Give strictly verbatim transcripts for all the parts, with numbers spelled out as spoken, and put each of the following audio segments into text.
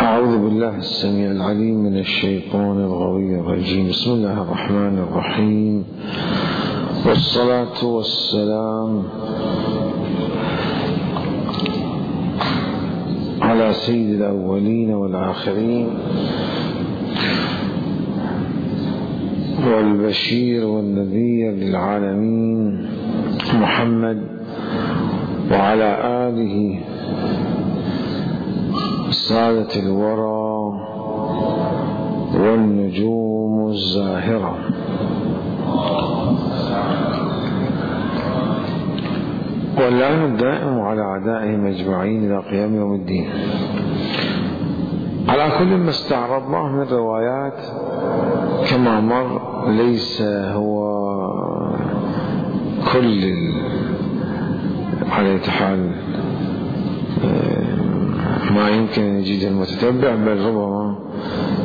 أعوذ بالله السميع العليم من الشيطان الغوي الرجيم. بسم الله الرحمن الرحيم، والصلاة والسلام على سيد الأولين والآخرين والبشير والنذير للعالمين محمد وعلى آله سادة الورى والنجوم الزاهرة. واللعن الدائم على أعدائهم أجمعين إلى قيام يوم الدين. على كل ما استعرضناه من روايات كما مر ليس هو كل على حال ما يمكن أن يجد المتتبع، بل ربما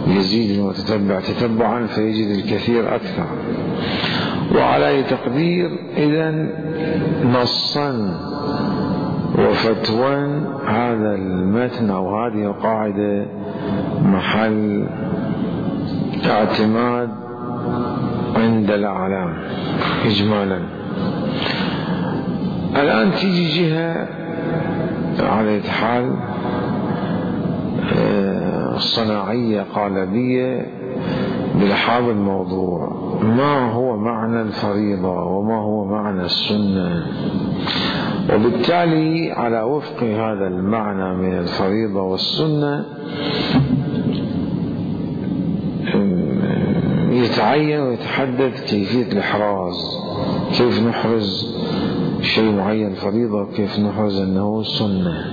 يزيد المتتبع تتبعا فيجد الكثير أكثر. وعلى تقدير إذن نصا وفتوى هذا المتن أو هذه القاعدة محل اعتماد عند الأعلام إجمالا. الآن تيجي جهة على حال صناعية قالبية بلحاظ الموضوع: ما هو معنى الفريضة وما هو معنى السنة؟ وبالتالي على وفق هذا المعنى من الفريضة والسنة يتعين ويتحدد كيفية الإحراز، كيف نحرز شيء معين فريضة وكيف نحرز أنه سنة.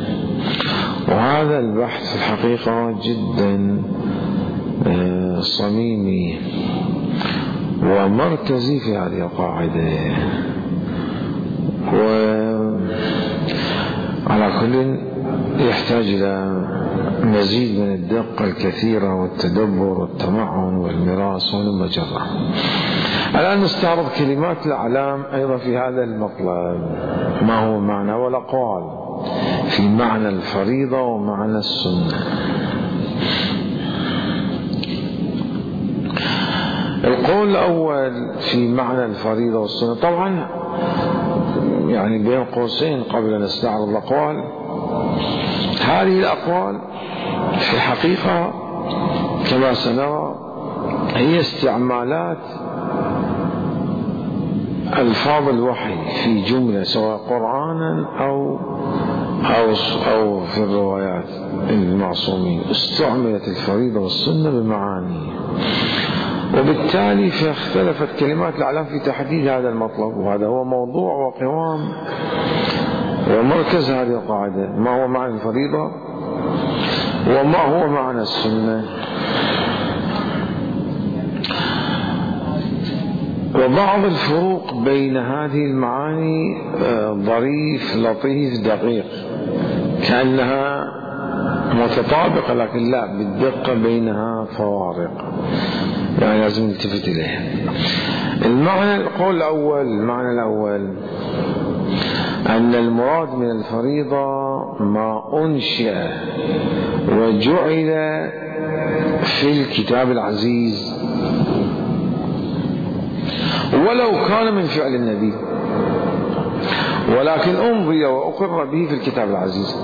وهذا البحث في الحقيقة جدا صميمي ومركزي في هذه القاعدة، وعلى كل يحتاج إلى مزيد من الدقة الكثيرة والتدبر والتمعن والمراس والمجرة. الآن نستعرض كلمات الأعلام أيضا في هذا المطلب: ما هو معنى والأقوال في معنى الفريضة ومعنى السنة. القول الأول في معنى الفريضة والسنة، طبعا يعني بين قوسين قبل أن نستعرض الأقوال، هذه الأقوال في الحقيقة كما سنرى هي استعمالات ألفاظ الوحي في جملة سواء قرآنا أو أو أو في الروايات المعصومين. استعملت الفريضة والسنة بمعاني، وبالتالي فاختلفت كلمات الأعلام في تحديد هذا المطلب، وهذا هو موضوع وقوام ومركز هذه القاعدة: ما هو معنى الفريضة وما هو معنى السنة. وبعض الفروق بين هذه المعاني ظريف لطيف دقيق، كأنها متطابقة لكن لا، بالدقة بينها فوارق، يعني لازم نلتفت إليها. المعنى القول الأول المعنى الأول أن المراد من الفريضة ما أنشئ وجعل في الكتاب العزيز ولو كان من فعل النبي، ولكن أمضي وأقر به في الكتاب العزيز.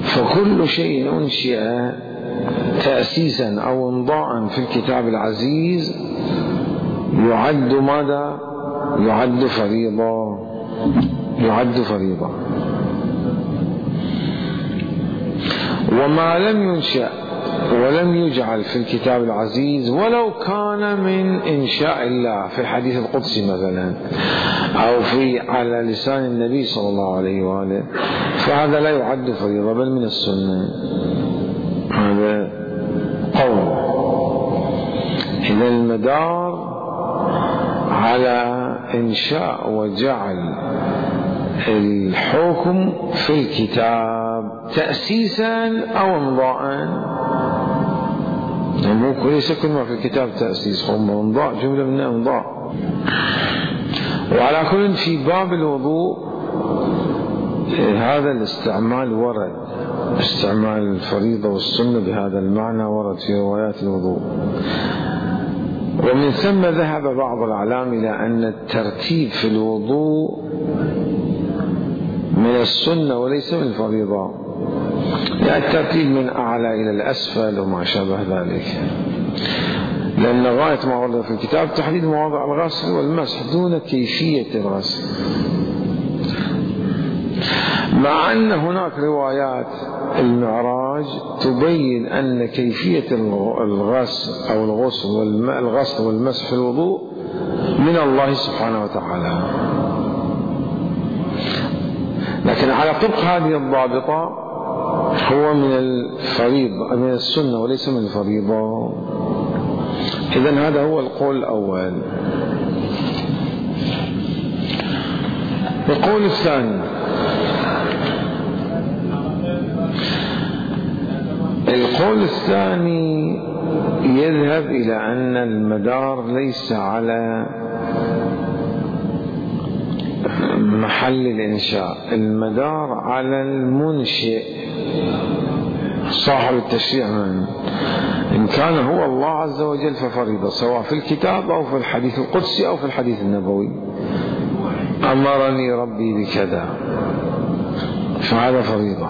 فكل شيء أنشئ تأسيسا أو امضاء في الكتاب العزيز يعد ماذا؟ يعد فريضة يعد فريضة. وما لم ينشأ ولم يجعل في الكتاب العزيز ولو كان من إنشاء الله في الحديث القدسي مثلا أو في على لسان النبي صلى الله عليه وآله، فهذا لا يعد فريضة بل من السنة. هذا قول. إذا المدار على إنشاء وجعل الحكم في الكتاب تأسيسا أو امضاء. ليس كل ما في الكتاب تأسيس، هم امضاء، جملة من امضاء. وعلى كل في باب الوضوء هذا الاستعمال ورد، استعمال الفريضة والسنة بهذا المعنى ورد في روايات الوضوء. ومن ثم ذهب بعض الأعلام إلى أن الترتيب في الوضوء من السنة وليس من الفريضة، يعني الترتيب من أعلى إلى الأسفل وما شابه ذلك، لأن غاية ما ورد في الكتاب تحديد مواضع الغسل والمسح دون كيفية الغسل، مع أن هناك روايات المعراج تبين أن كيفية الغسل أو الغسل والغسل والمسح في الوضوء من الله سبحانه وتعالى، لكن على طبق هذه الضابطة هو من الفريضة من السنة وليس من الفريضة. إذن هذا هو القول الأول. القول الثاني، القول الثاني يذهب إلى أن المدار ليس على محل الإنشاء، المدار على المنشئ صاحب التشريع، من إن كان هو الله عز وجل ففريضة، سواء في الكتاب أو في الحديث القدسي أو في الحديث النبوي، أمرني ربي بكذا فهذا فريضة.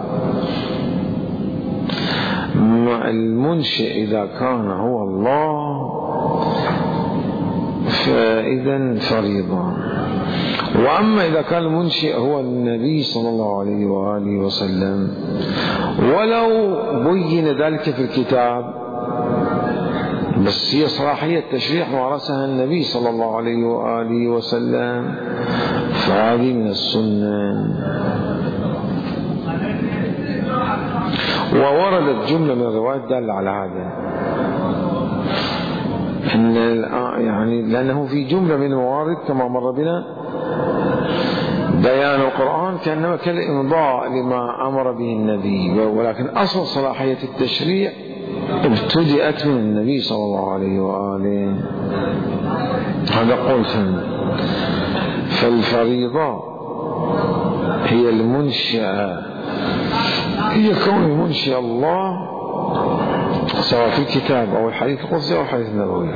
المنشئ إذا كان هو الله فإذا فريضة. وأما إذا كان المنشئ هو النبي صلى الله عليه وآله وسلم ولو بين ذلك في الكتاب، بس هي صلاحية التشريع مارسها النبي صلى الله عليه وآله وسلم، فهذه من السنة. ووردت جملة من الروايات دالة على هذا، إن يعني لأنه في جملة من الموارد كما مر بنا بيان القرآن كأنما كالإمضاء لما أمر به النبي، ولكن أصل صلاحية التشريع ابتدأت من النبي صلى الله عليه وآله. هذا قول ثاني. فالفريضة هي المنشأة، هي كون المنشئ الله سواء في الكتاب أو الحديث القدسي أو الحديث النبوي،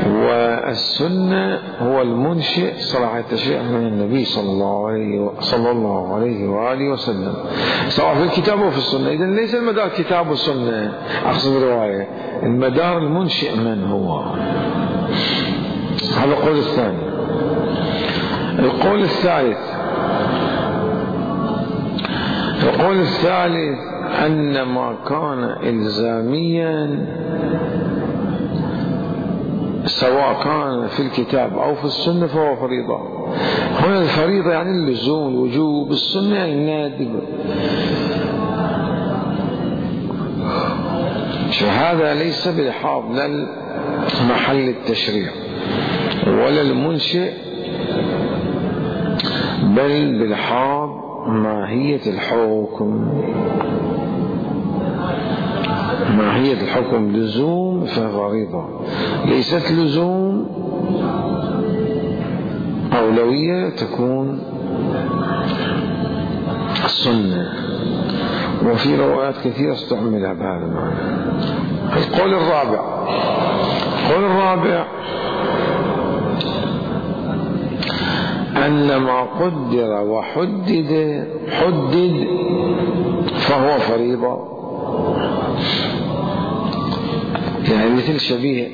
والسنة هو المنشئ صلاح التشريع من النبي صلى الله عليه صلى الله عليه وآله وسلم، سواء في الكتاب أو في السنة. إذن ليس المدار كتاب والسنة، أقصد الرواية، المدار المنشئ من هو. هذا القول الثاني. القول الثالث، القول الثالث أن ما كان إلزاميا سواء كان في الكتاب أو في السنة فهو فريضة. هنا الفريضة يعني اللزوم، الوجوب، السنة يعني النادب. فهذا ليس بالحاض لا محل التشريع ولا المنشئ، بل بالحاض ماهية الحكم. ماهية الحكم لزوم ففريضة، ليست لزوم أولوية تكون السنة. وفي روايات كثيرة استعملها بهذا المعنى. القول الرابع، القول الرابع أن ما قدر وحدد حدد فهو فريضة، يعني مثل شبيه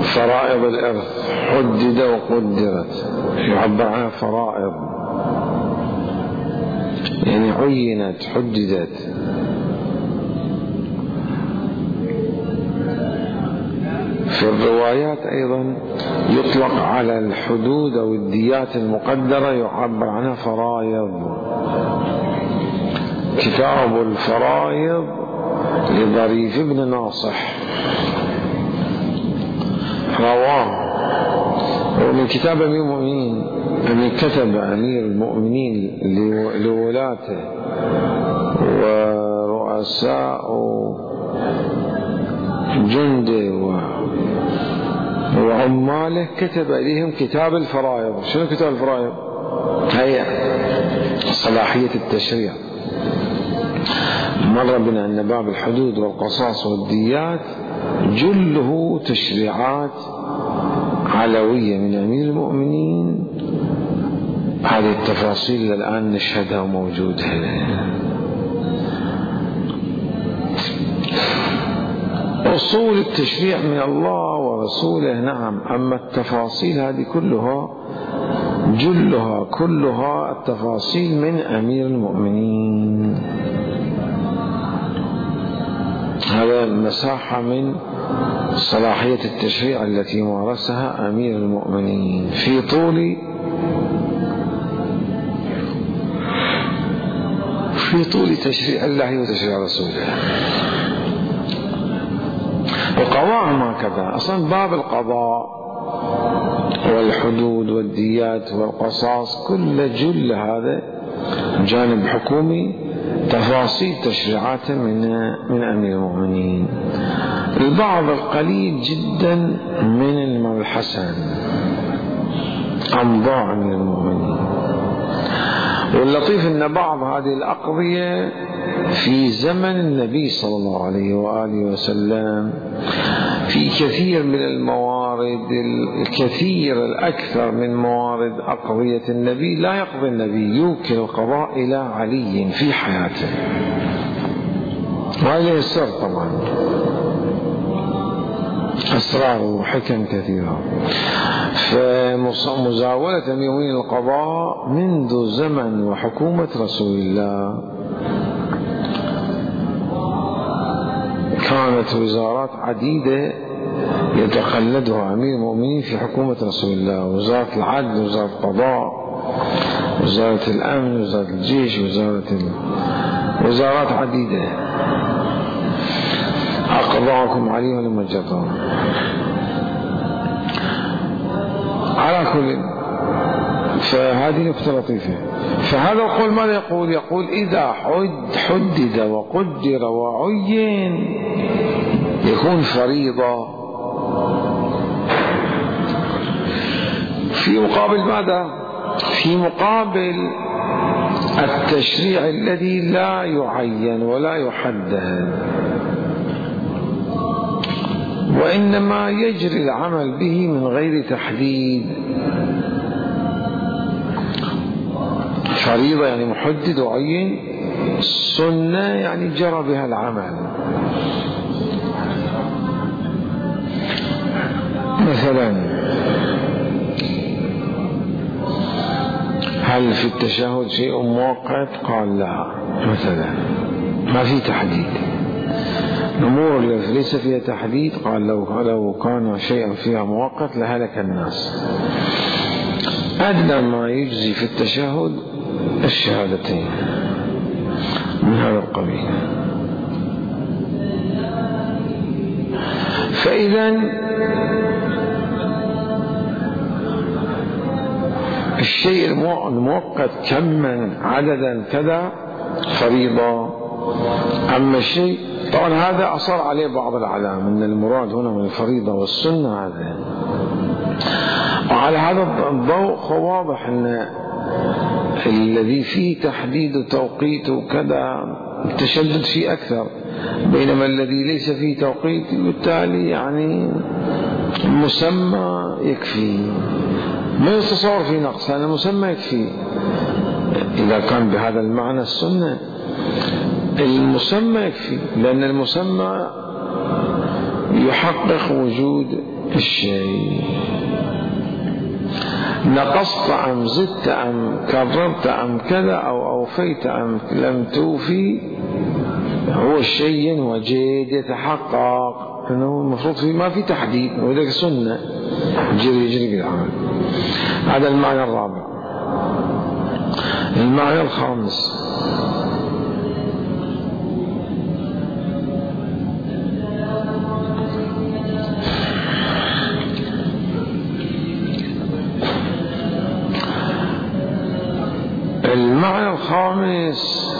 فرائض الإرث حدد وقدرت، يعبر عنها فرائض يعني عينت حددت. في الروايات أيضا يطلق على الحدود أو الديات المقدرة يعبر عنها فرائض. كتاب الفرائض لظريف بن ناصح رواه، ومن كتاب أمير المؤمنين، أن كتب أمير المؤمنين لولاته ورؤساء جنده وعماله، كتب إليهم كتاب الفرائض. شنو كتاب الفرائض؟ هيا صلاحية التشريع. مر بنا أن باب الحدود والقصاص والديات جله تشريعات علوية من أمير المؤمنين. هذه التفاصيل الآن نشهدها وموجودة. أصول التشريع من الله ورسوله نعم، أما التفاصيل هذه كلها جلها كلها التفاصيل من أمير المؤمنين. هذا مساحة من صلاحية التشريع التي مارسها أمير المؤمنين في طول في طول تشريع الله وتشريع رسوله. وقضاءهم هكذا. أصلا باب القضاء والحدود والديات والقصاص كل جل هذا جانب حكومي، تفاصيل تشريعات من من أمير المؤمنين. البعض القليل جدا من المبحثان أمضاء من المؤمنين. واللطيف أن بعض هذه الأقضية في زمن النبي صلى الله عليه وآله وسلم في كثير من الموارد، الكثير الأكثر من موارد أقضية النبي لا يقضي النبي، يوكل القضاء إلى علي في حياته، وهذا السر طبعا أسرار وحكم كثيرة. فمزاولة أمير المؤمنين القضاء منذ زمن وحكومة رسول الله كانت وزارات عديدة يتقلدها أمير المؤمنين في حكومة رسول الله: وزارة العدل، وزارة القضاء، وزارة الأمن، وزارة الجيش، وزارة ال... وزارات عديدة أقضاكم عليها لما جرى. على كل، فهذه نقطة لطيفة. فهذا القول ماذا يقول؟ يقول إذا حد حدد وقدر وعين يكون فريضة في مقابل ماذا؟ في مقابل التشريع الذي لا يعين ولا يحدد، وإنما يجري العمل به من غير تحديد. فريضة يعني محدد وعين، سنة يعني جرى بها العمل. مثلا هل في التشهد شيء مؤقت؟ قال لا، مثلا ما في تحديد. الأمور التي ليس فيها تحديد قال لو لو كان شيئا فيها مؤقت لهلك الناس. أدنى ما يجزي في التشهد الشهادتين من هذا القبيل. فإذا الشيء المؤقت كما عددا كذا فريضة. أما الشيء طبعا هذا أصر عليه بعض العلامة أن المراد هنا من الفريضة والسنة هذا. وعلى هذا الضوء واضح أن الذي فيه تحديد توقيت وكذا التشدد فيه أكثر، بينما الذي ليس فيه توقيت بالتالي يعني المسمى يكفي، ما يتصور في نقص، هذا المسمى يكفي. إذا كان بهذا المعنى السنة المسمى يكفي، لأن المسمى يحقق وجود الشيء. نقصت أم زدت أم كررت أم كذا أو أوفيت أم لم توفي، هو الشيء وجد يتحقق أنه المفروض فيه ما في تحديد، وذلك سنة جري يجري بالعمل. هذا المعنى الرابع. المعنى الخامس: المعنى الخامس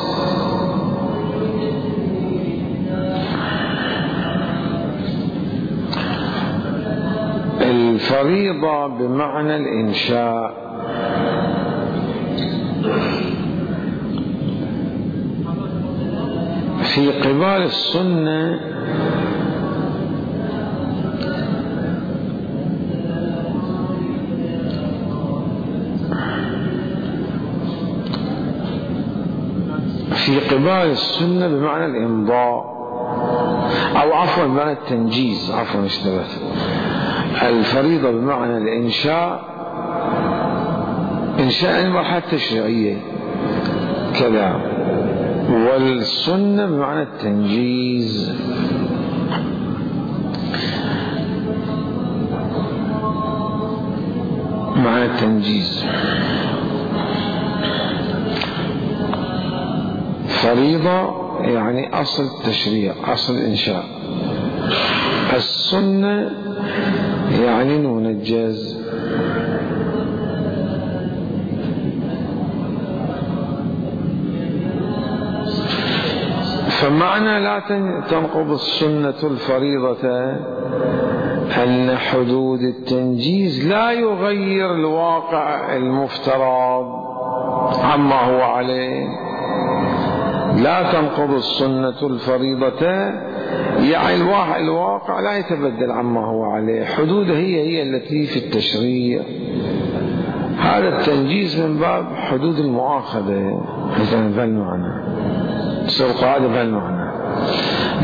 الفريضة بمعنى الإنشاء. في قبال السنة في قبال السنة بمعنى الإمضاء، أو عفوا بمعنى التنجيز، عفوا اشتبهت. الفريضة بمعنى الإنشاء، إنشاء المرحلة التشريعية كذا، والسنة بمعنى التنجيز. معنى التنجيز فريضة يعني أصل التشريع، أصل الإنشاء. السنة يعني المنجز. فمعنى لا تنقض السنة الفريضة أن حدود التنجيز لا يغير الواقع المفترض عما هو عليه. لا تنقض السنة الفريضة يعني الواقع لا يتبدل عما هو عليه، حدوده هي هي التي في التشريع. هذا التنجيز من باب حدود المؤاخذة مثلا بهالمعنى، تصير قاعدة بهالمعنى.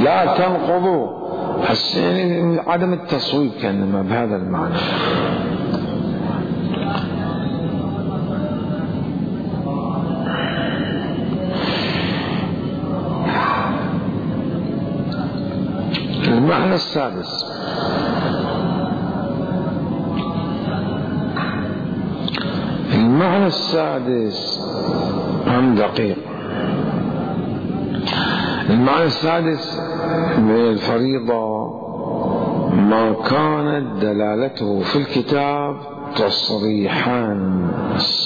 لا تنقضوا يعني عدم التصويب كأنما بهذا المعنى. المعنى السادس المعنى السادس هم دقيق. المعنى السادس من الفريضة ما كانت دلالته في الكتاب تصريحا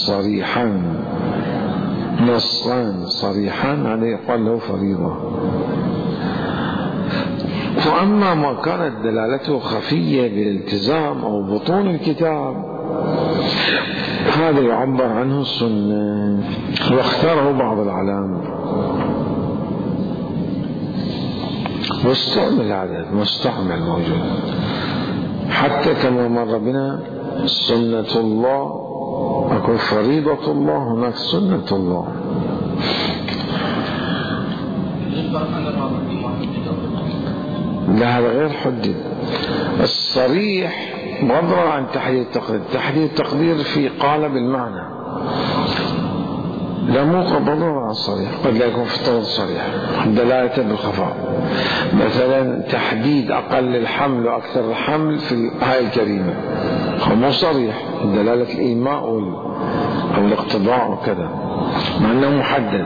صريحا نصا صريحا، هذا يقال له فريضة. وأما ما كانت دلالته خفية بالالتزام أو بطون الكتاب هذا يعبر عنه السنة، واختاره بعض العلامة واستعمل، هذا مستعمل موجود حتى كما مر بنا سنة الله، أكو فريضة الله، هناك سنة الله. لا هذا غير حدد. الصريح بغض عن تحديد التقدير، تحديد التقدير في قالب المعنى، لا مو قبض عن الصريح، قد لا يكون في الطرد صريح دلالة بالخفاء. مثلا تحديد أقل الحمل وأكثر الحمل في الآية الكريمة مو صريح، دلالة الإيماء أو الاقتضاء وكذا، مع أنه محدد.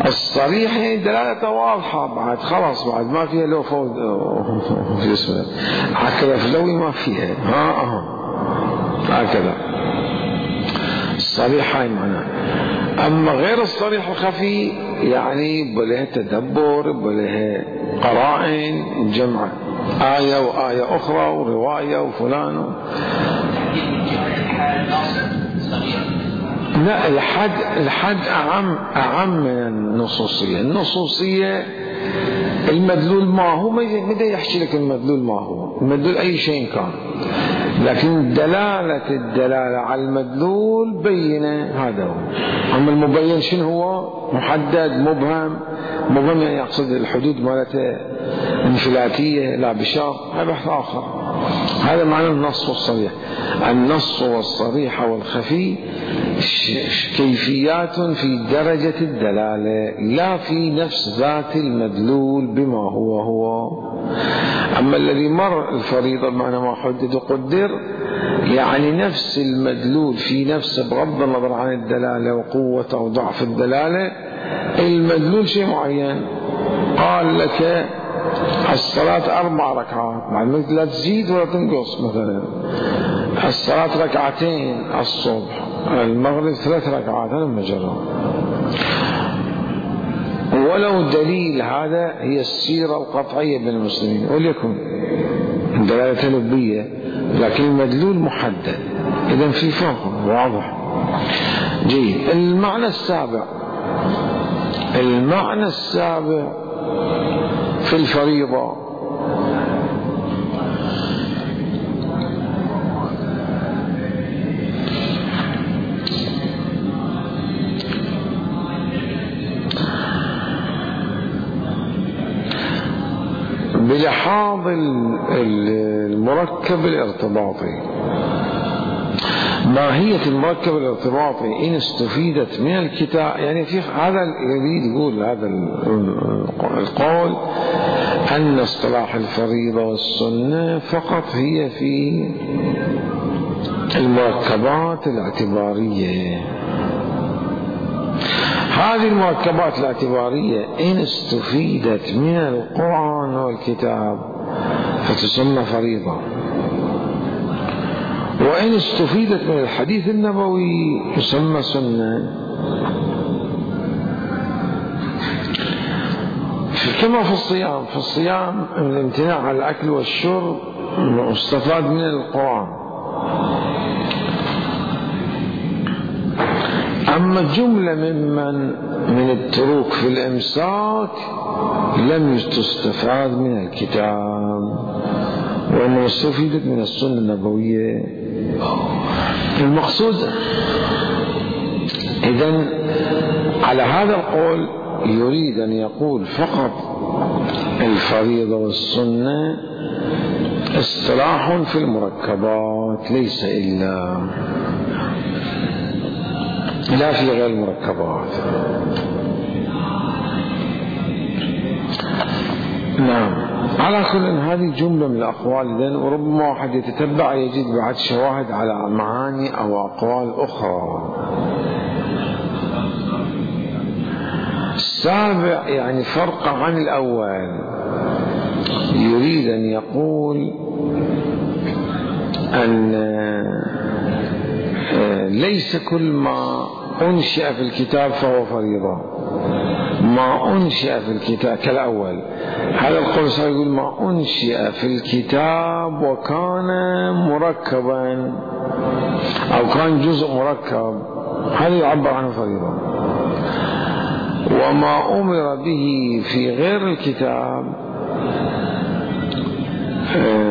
الصريح يعني دلالته واضحة، بعد خلاص بعد ما فيها لو فوز في اسمه هكذا فلوي ما فيها ها ها هكذا الصريح هاي معناه. أما غير الصريح الخفي يعني بله تدبر، بله قرائن، جمع آية وآية أخرى ورواية وفلان. لا الحد الحد أعم أعم من النصوصية. النصوصية المدلول ما هو، متى يحكي لك المدلول ما هو، المدلول أي شيء كان، لكن دلالة الدلالة على المدلول بينة، هذا هو. أما المبين شنو هو؟ محدد مبهم. مبهم يعني يقصد الحدود مالته انفلاتية لا بشرط، هذا بحث آخر. هذا معنى النص والصريح. النص والصريح والخفي كيفيات في درجة الدلالة لا في نفس ذات المدلول بما هو هو. أما الذي مر الفريضة بمعنى ما حدد وقدر يعني نفس المدلول في نفس، بغض النظر عن الدلالة وقوة أو ضعف الدلالة، المدلول شيء معين. قال لك الصلاة أربع ركعات، بعد لا تزيد ولا تنقص. مثلا الصلاة ركعتين الصبح، المغرب ثلاث ركعات، هذا مجرد. ولو دليل هذا هي السيرة القطعية بين المسلمين، وليكن دلالة لبية لكن المدلول محدد، إذن في فرق واضح. جيد. المعنى السابع المعنى السابع في الفريضة. بلحاظ المركب الارتباطي. ماهية المركب الارتباطي إن استفيدت من الكتاب، يعني في هذا يريد يقول هذا القول أن اصطلاح الفريضة والسنة فقط هي في المركبات الاعتبارية. هذه المركبات الاعتبارية إن استفيدت من القرآن والكتاب فتسمى فريضة، وإن استفيدت من الحديث النبوي تسمى سنة. كما في الصيام، في الصيام الامتناع عن الأكل والشرب مستفاد من القرآن، أما جملة ممن من التروك في الإمساك لم تستفاد من الكتاب، وإنما استفيدت من السنة النبوية. المقصود إذن على هذا القول يريد أن يقول فقط الفريضة والسنة اصطلاح في المركبات ليس إلا، لا في غير المركبات. نعم. على كل هذه جملة من الأقوال إذن، وربما واحد يتتبع يجد بعد شواهد على معاني أو أقوال أخرى. السابع يعني فرق عن الأول، يريد أن يقول أن ليس كل ما أنشئ في الكتاب فهو فريضة. ما أنشئ في الكتاب كالأول، هذا القول سيقول ما أنشئ في الكتاب وكان مركبا أو كان جزء مركب، هذا يعبر عنه فريضة. وما أمر به في غير الكتاب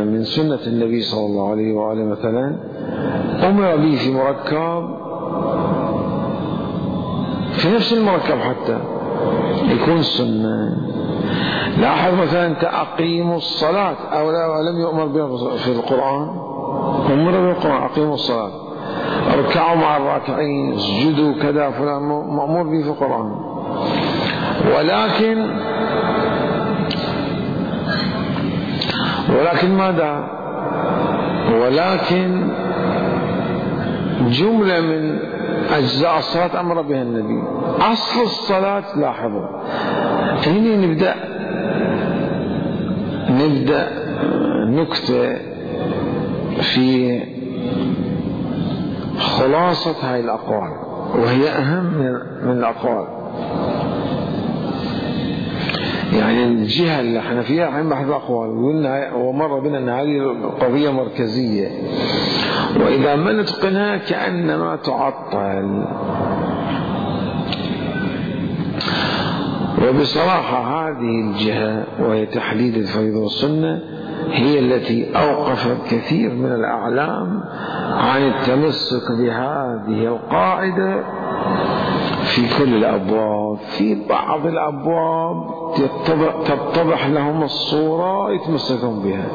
من سنة النبي صلى الله عليه وآله مثلا أمر به في مركب، في نفس المركب حتى يكون سنة. لاحظ مثلا أقيموا الصلاة، أو لم يؤمر بها في القرآن، أمر بالقرآن أقيموا الصلاة، اركعوا مع الراكعين، اسجدوا كذا، فلان مأمور به في القرآن. ولكن ولكن ماذا؟ ولكن جملة من أجزاء الصلاة أمر بها النبي. أصل الصلاة لاحظوا هنا نبدأ نبدأ نكتة في خلاصة هذه الأقوال، وهي أهم من الأقوال. يعني الجهة اللي احنا فيها عم بحث الأقوال، ومر بنا أن هذه قضية مركزية، وإذا ما نتقنها كأنما تعطل. وبصراحة هذه الجهة وهي تحديد الفريضة والسنة هي التي أوقفت كثير من الأعلام عن التمسك بهذه القاعدة في كل الأبواب. في بعض الأبواب تتضح لهم الصورة يتمسكون بها،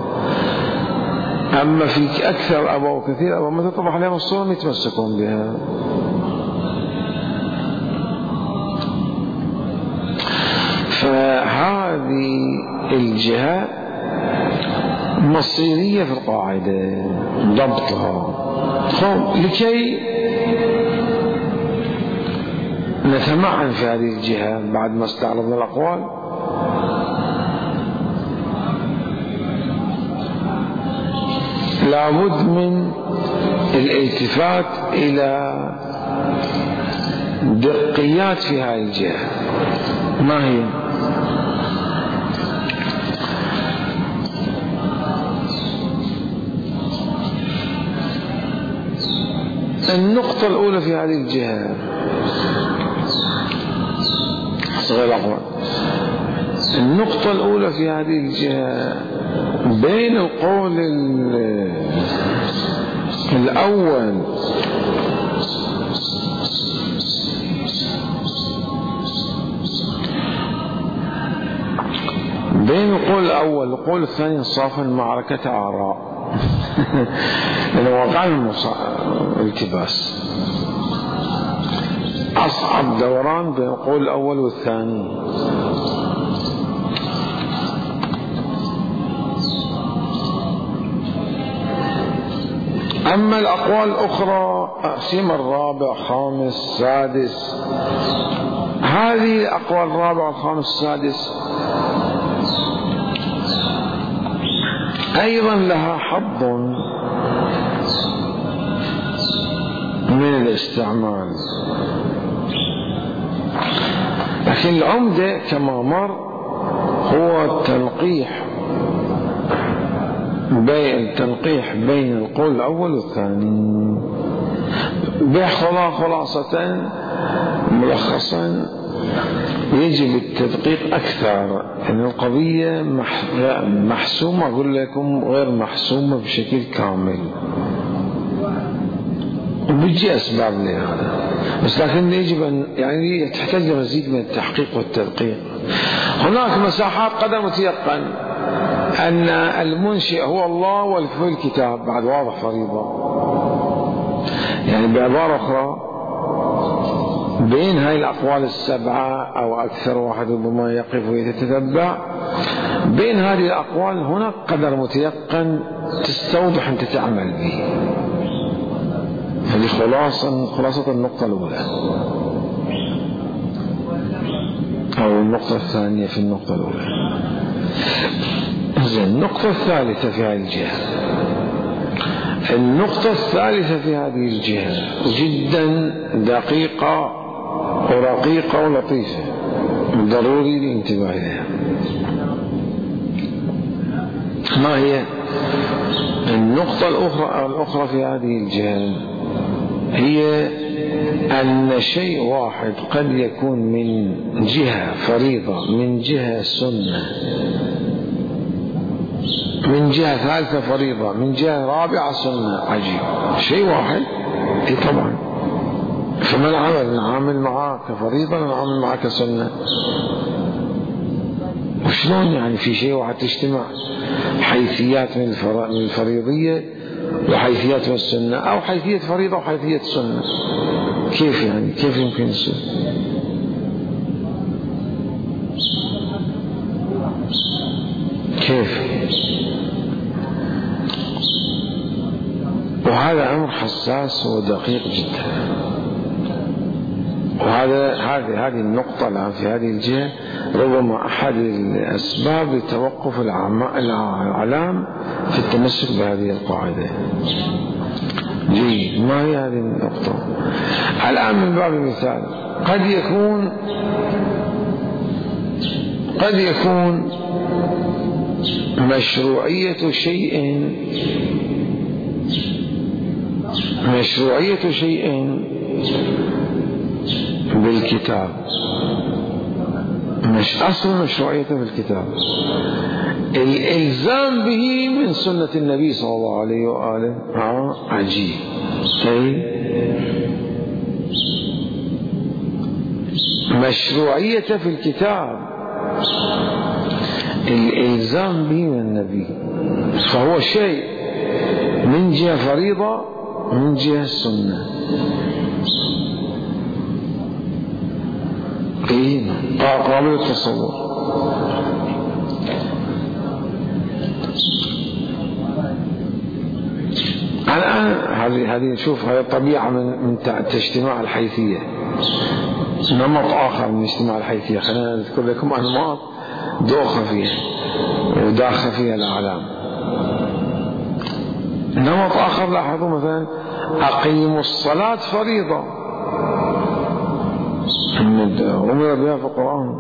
أما في أكثر الأبواب كثير أبواب ما تتضح لهم الصورة يتمسكون بها. فهذه الجهة مصيرية في القاعدة ضبطها. لكي نتمعن في هذه الجهة بعد ما استعرضنا الأقوال، لابد من الالتفات إلى دقيات في هذه الجهة. ما هي؟ النقطة الأولى في هذه الجهة صغير الأقوال النقطة الأولى في هذه الجهة بين القول الأول بين القول الأول والقول الثاني انصافا معركة آراء لأنه وقع الالتباس، أصعب دوران بين القول الأول والثاني. أما الأقوال الأخرى أقسم الرابع خامس سادس، هذه الأقوال الرابع الخامس السادس أيضا لها حظ من الاستعمال، لكن العمدة كما مر هو التنقيح بين التنقيح بين القول الأول والثاني. بخلاصة ملخصا يجب التدقيق أكثر، أن القضية محسومة أقول لكم غير محسومة بشكل كامل، وبيجي أسباب لهذا، بس لكن يجب أن يعني تحتاج مزيد من التحقيق والتدقيق. هناك مساحات قدر متيقن أن المنشئ هو الله والفعل الكتاب، بعد واضح فريضة، يعني بعبارة أخرى بين هاي الأقوال السبعة أو أكثر، واحد ربما يقف ويتتبع بين هذه الأقوال هناك قدر متيقن تستوضح أن تعمل به. هذه خلاصة خلاصة النقطة الأولى أو النقطة الثانية في النقطة الأولى. زين، النقطة الثالثة في هذه الجهة، النقطة الثالثة في هذه الجهة جدا دقيقة ورقيقة ولطيفة، ضروري الانتباه لها. ما هي النقطة الأخرى الأخرى في هذه الجهة؟ هي أن شيء واحد قد يكون من جهة فريضة، من جهة سنة، من جهة ثالثة فريضة، من جهة رابعة سنة. عجيب، شيء واحد. اي طبعا، فما العمل؟ نعامل معاه كفريضة نعامل معاه كسنة. وشلون يعني في شيء واحد تجتمع حيثيات من الفريضية وحيثيات من السنة، أو حيثية فريضة وحيثية سنة؟ كيف يعني؟ كيف يمكن يصير؟ كيف؟ وهذا أمر حساس ودقيق جدا، وهذا هذه هذه النقطة الآن في هذه الجهة ربما أحد الأسباب لتوقف العلام في التمسك بهذه القاعدة. جيد، ما هي هذه النقطة؟ الآن من باب المثال، قد يكون قد يكون مشروعية شيء مشروعية شيء بالكتاب، مش أصل مشروعيته بالكتاب، الإلزام به من سنة النبي صلى الله عليه وآله. ها عجيب. طيب، مشروعيته في الكتاب، الإلزام به من النبي، فهو شيء من جهة فريضة من جهة السنة. إيه، قابل التصور. الآن هذه هذه نشوف هذه طبيعة من من اجتماع الحيثية، نمط آخر من اجتماع الحيثية. خلينا نذكر لكم أنماط دوخة فيها وداخل فيها الأعلام. نمط آخر لاحظوا مثلا أقيموا الصلاة فريضة، أمر بها في القرآن،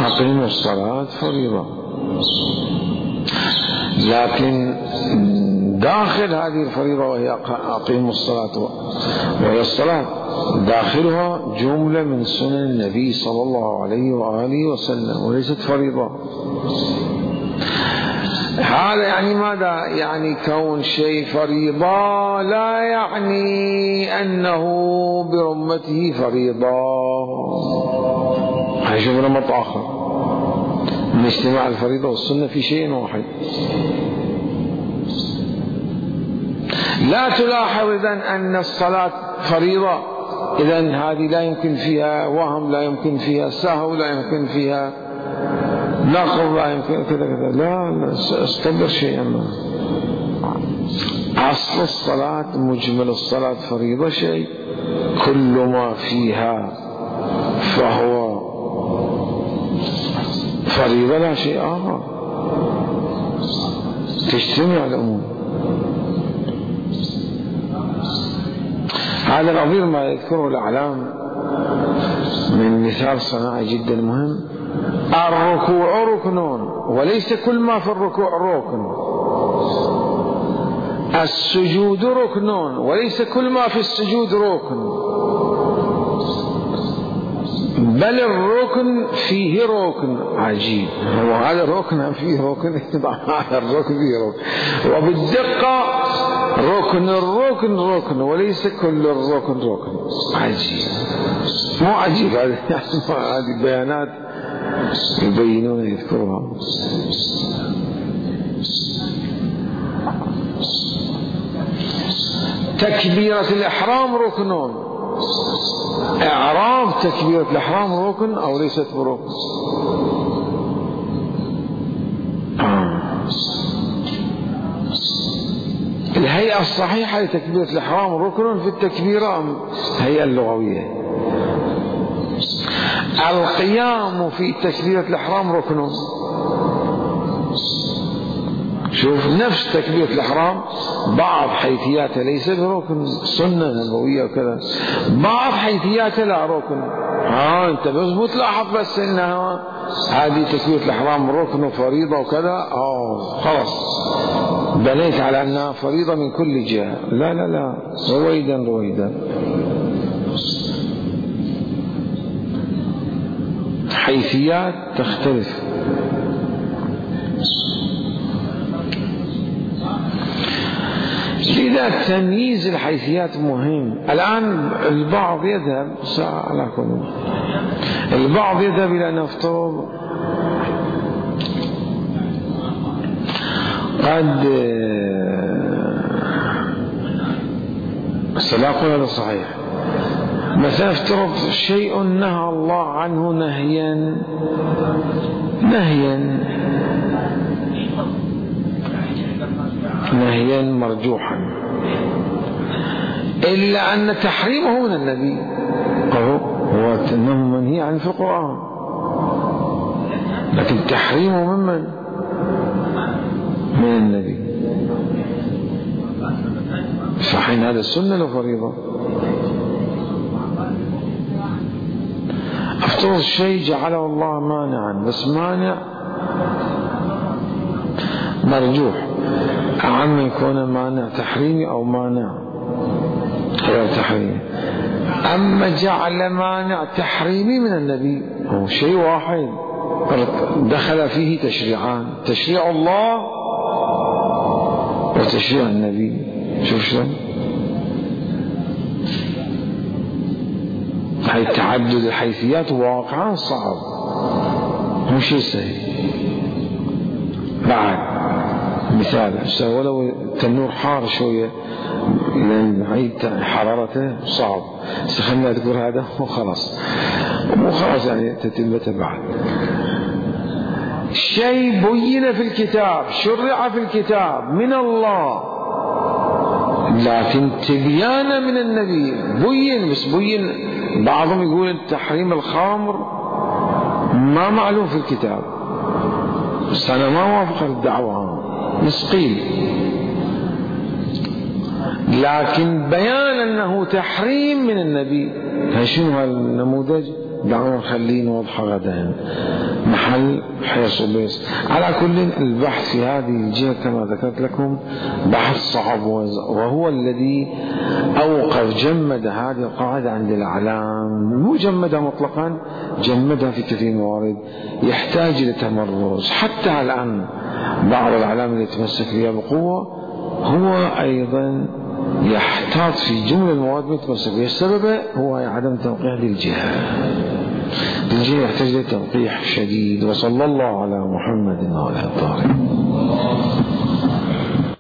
أقيموا الصلاة فريضة، لكن داخل هذه الفريضة وهي أقيموا الصلاة وهي الصلاة داخلها جملة من سنن النبي صلى الله عليه وآله وسلم وليست فريضة. هذا يعني ماذا؟ يعني كون شيء فريضة لا يعني أنه برمته فريضة. هيشوف نمط آخر من اجتماع الفريضة والسنة في شيء واحد. لا تلاحظ إذن أن الصلاة فريضة، إذن هذه لا يمكن فيها وهم، لا يمكن فيها سهو، لا يمكن فيها نقض، لا يمكن كذا كذا. لا لا، استدر شيئا ما. أصل الصلاة مجمل الصلاة فريضة شيء، كل ما فيها فهو فريضة لا شيء آخر، تجتمع الأمور. هذا نظير ما يذكره الأعلام من مثال صناعي جدا مهم. الركوع ركن وليس كل ما في الركوع ركن، السجود ركن وليس كل ما في السجود ركن، بل الركن فيه ركن. عجيب، هو هذا الركن فيه ركن، هذا الركن فيه ركن، وبالدقة ركن الركن ركن وليس كل الركن ركن. عجيب، مو عجيب، هذه بيانات يبينون يذكرها. تكبيرة الإحرام ركن، إعراب تكبيرة الإحرام ركن أو ليست بركن؟ آه. الهيئة الصحيحة لتكبيرة الإحرام ركن في التكبيرة أم الهيئة اللغوية؟ القيام في تكبيرة الإحرام ركن. شوف، نفس تكبيرة الإحرام بعض حيثياتها ليس بركن، سنة نبوية وكذا، بعض حيثياتها لا ركن. ها أنت بس تلاحظ بس إنها هذه تكبيرة الإحرام ركن وفريضة وكذا، آه خلاص بنيت على أنها فريضة من كل جهة. لا لا لا، رويدا رويدا. حيثيات تختلف. لذا تمييز الحيثيات مهم. الآن البعض يذهب على كل البعض يذهب إلى أن نفترض قد سلاقل هذا صحيح، مثلا افترض شيء نهى الله عنه نهيا نهيا نهيا مرجوحا، إلا أن تحريمه من النبي، هو أنه منهي عنه في القرآن، لكن تحريمه ممن؟ من النبي. فحين هذا السنة لفريضة. افترض شيء جعله الله مانعا، بس مانع مرجوح، أعم يكون مانع تحريمي أو مانع غير تحريمي. أما جعل مانع تحريمي من النبي، هو شيء واحد دخل فيه تشريعان، تشريع الله وتشريع النبي. شوف شلون هاي تعدد الحيثيات واقعا صعب، مو شيء سهل. بعد مثال، ولو التنور حار شوية لأن نعيد حرارته صعب، خلنا أذكر هذا وخلاص، مو خلاص يعني تتمته بعد. شيء بين في الكتاب، شرع في الكتاب من الله، لكن تبيانا من النبي بين، بس بين. بعضهم يقول تحريم الخمر ما معلوم في الكتاب، بس أنا ما وافق الدعوة، مسقيل، لكن بيان أنه تحريم من النبي. شنو هالنموذج؟ دعونا نخليه نوضحه غدا محل حرص وبس. على كل البحث في هذه الجهة كما ذكرت لكم بحث صعب، وهو الذي أوقف جمد هذه القاعدة عند الأعلام، مو جمدها مطلقا، جمدها في كثير من الموارد، يحتاج إلى تمرس. حتى الآن بعض الأعلام اللي يتمسك بها بقوة هو أيضا يحتاط في جملة المواد متمسك بها. السبب هو عدم تنقيح هذه الجهة. الجهة يحتاج إلى تنقيح شديد. وصلى الله على محمد وعلى آله.